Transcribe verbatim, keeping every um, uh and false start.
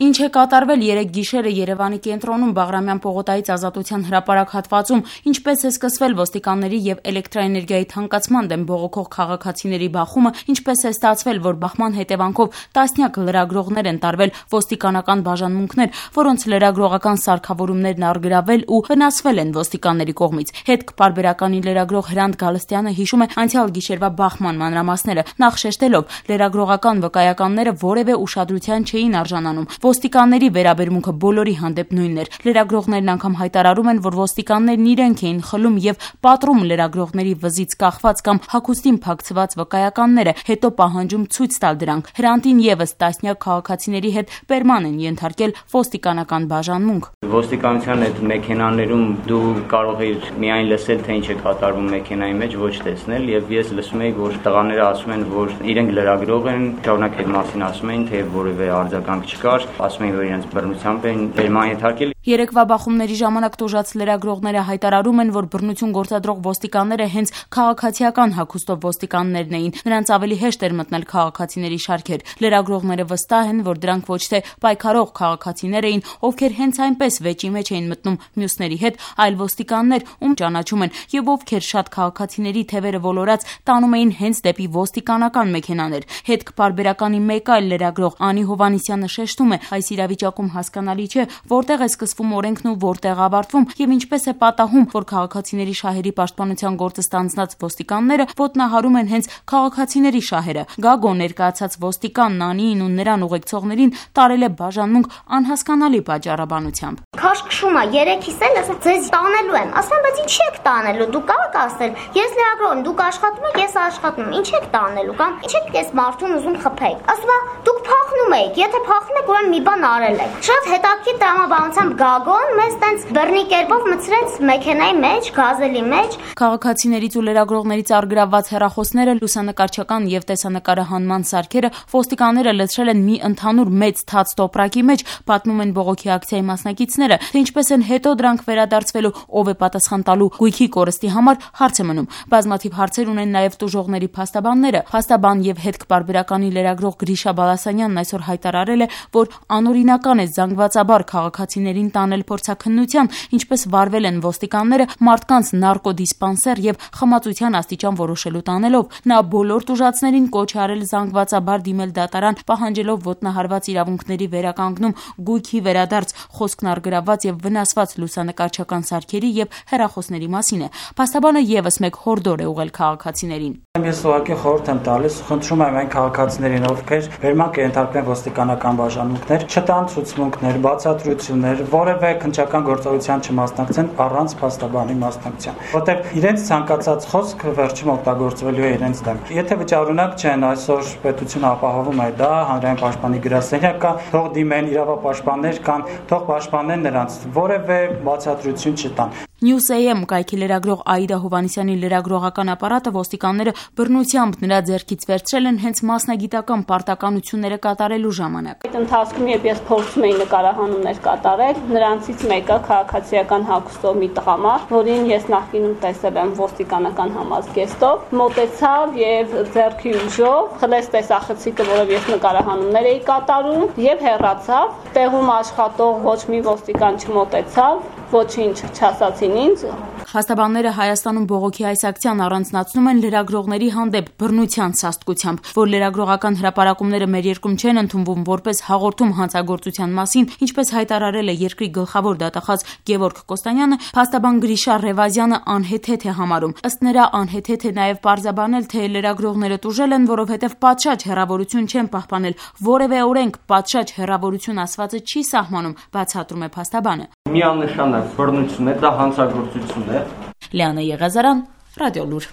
Ինչ է կատարվել երեկ գիշերը Երևանի կենտրոնում Բաղրամյան պողոտայից Ազատության հրապարակ հատվածում, ինչպես է սկսվել ոստիկանների եւ էլեկտրաէներգիայի թանկացման դեմ բողոքող քաղաքացիների բախումը, ինչպես է ստացվել, որ բախման հետևանքով տասնյակ լրագրողներ են տարվել ոստիկանական բաժանմունքներ, որոնց լրագրողական սարքավորումներն առգրավել ու վնասվել են ոստիկանների կողմից։ Հետք պարբերականի լրագրող Հրանտ Գալստյանը հիշում է անցյալ գիշերվա բախման մանրամասները, նախ շեշտելով լրագրողական վկայականները որևէ ուշադրության չէին արժանանում։ Ոստիկանների վերաբերմունքը բոլորի հանդեպ նույնն էր։ Լրագրողներն անգամ հայտարարում են, որ ոստիկաններն իրենք էին խլում եւ պատռում լրագրողների վզից կախված կամ հագուստին փակցված վկայականները, հետո պահանջում ցույց տալ դրանք։ Հրանտին եւս տասնյակ քաղաքացիների հետ պերման են ենթարկել ոստիկանական բաժանմունք։ Ոստիկանության այդ մեքենաներում դու կարող ես միայն լսել, թե ինչ է կատարվում մեքենայի մեջ, ոչ տեսնել, եւ ես լսում եի, որ տղաները ասում են, որ իրենք լրագրող են, շարունակ այդ մասին ասում էին, թե որևէ արձագանք չկար, ասում էին, որ իրենց բռնությամբ են պերման ենթարկել։ Երեկվա բախումների ժամանակ տուժած լրագրողները հայտարարում են, որ բռնություն գործադրող ոստիկանները հենց քաղաքացիական հագուստով ոստիկաններն էին, նրանց ավելի հեշտ էր մտնել քաղաքացիների շարքեր։ Լրագրողները վստահ են, որ դրանք ոչ թե պայքարող քաղաքացիներ էին, ովքեր հենց այնպես վեճի մեջ էին մտնում մյուսների հետ, այլ ոստիկաններ, ում ճանաչում են եւ ովքեր շատ քաղաքացիների թևերը ոլորած տանում էին հենց դեպի ոստիկանական մեքենաներ։ Հետք պարբերականի մեկ այլ լրագրող Անի Հովհաննիսյանը շեշտում է, այս իրավիճակում հասկանալի չէ, որտեղ է սկսվում օրենքն ու որտեղ ավարտվում եւ ինչպես է պատահում, որ քաղաքացիների շահերի պաշտպանության գործը ստանձնած ոստիկանները ոտնահարում են հենց քաղաքացիների շահերը։ Գագո ներկայացած ոստիկան Նանիին ու նրան ուղեկցողներին տարել է բաժանմունք անհասկանալի պատճառաբանությամբ։ Քաշքշում է երեքիս էլ ասա ձեզ տանելու եմ։ Ասում բայց ինչ եք տանելու, դուք կարող ասել, ես լրագրող եմ, դուք աշխատում եք, ես աշխատում եմ, ինչ եք տանելու կամ ինչ եք այս մարդուն ուզում խփեք։ Ասում է դուք փախնում եք, եթե փախնում եք, ուրեմն մի բան արել եք։ Շատ հետաքրքիր տրամաբանությամբ Գագոն մեզ տենց բռնի կերպով մցրեց մեքենայի մեջ, գազելի մեջ։ Քաղաքացիներից ու լրագրողներից առգրավված հեռախոսները, լուսանկարչական եւ տեսանկարահանման սարքերը ոստիկանները լցրել են մի ընդհանուր մեծ թաց տոպրակի մեջ, պատմում են բողոքի ակցիայի մասնակիցները, թե ինչպես են հետո դրանք վերադարձվելու, ով է պատասխան տալու գույքի կորստի համար, հարց է մնում։ Բազմաթիվ հարցեր ունեն նաեւ տուժողների փաստաբանները։ Փաստաբան եւ հետք պարբերականի լրագրող Գրիշա Բալասանյանն այսօր հայտարարել է, որ անօրինական է զանգվածաբար քաղաքացիներին տանել փորձաքննության, ինչպես վարվել են ոստիկանները մարդկանց նարկոդիսպանսեր եւ խմացության աստիճան որոշելու տանելով։ Նա բոլոր տուժածներին կոչ է արել զանգվածաբար դիմել դատարան, պահանջելով ոտնահարված իրավունքների վերականգնում, գույքի վերադարձ, խոսքն առգրավված եւ վնասված լուսանկարչական սարքերի եւ հեռախոսների մասին է։ Փաստաբանը եւս մեկ հորդոր է ուղղել քաղաքացիներին։ Ես ուղղակի խորհուրդ եմ տալիս, խնդրում եմ այն քաղաքացիներին, ովքեր վերմակ ենթարկվեն ոստիկանական բաժանմունքներ, չտան ցուցմունքներ, բացատրություններ, որևէ քննչական գործողության չմասնակցեն առանց փաստաբանի մասնակցության, որտեղ իրենց ցանկացած խոսք վերջում օգտագործվելու է իրենց դեմ։ Եթե վճարունակ չեն, այսօր պետությունը ապահովում է դա, հանրային պաշտպանի գրասենյակ կա, թող դիմեն իրավապաշտպաններ կան, թող պաշտպանեն նրանց, որևէ բացատրություն չտան։ News A M կայքի լրագրող Աիդա Հովհաննիսյանի լրագրողական ապարատը ոստիկանները բռնությամբ նրա ձեռքից վերցրել են հենց մասնագիտական պարտականությունները կատարելու ժամանակ։ Այդ ընթացքում, երբ ես փորձում էի նկարահանումներ կատարել, նրանցից մեկը քաղաքացիական հագուստով մի տղամարդ, որին ես նախկինում տեսել եմ ոստիկանական համազգեստով, մոտեցավ եւ ձեռքի ուժով խլեց տեսախցիկը, որով ես նկարահանումներ էի կատարում, եւ հեռացավ։ Տեղում աշխատող ոչ մի ոստիկան չմոտեցավ, ոչինչ չասացին ինձ։ Փաստաբանները Հայաստանում բողոքի այս ակցիան առանձնացնում են լրագրողների հանդեպ բռնության սաստկությամբ, որ լրագրողական հրապարակումները մեր երկրում չեն ընդունվում որպես հաղորդում հանցագործության մասին, ինչպես հայտարարել է երկրի գլխավոր դատախազ Գևորգ Կոստանյանը, փաստաբան Գրիշա Ռևազյանը անհեթեթ է համարում։ Ըստ նրա անհեթեթ է նաև պարզաբանել, թե լրագրողները տուժել են, որովհետև պատշաճ հեռավորություն չեն պահպանել, որևէ օրենք պատշաճ հեռավորություն ասվածը չի սահմանում, բացատրում է փաստաբանը։ Միանշանակ բռնություն է, դա հանցագործություն է։ Լիանա Եղազարյան, Ռադիոլուր։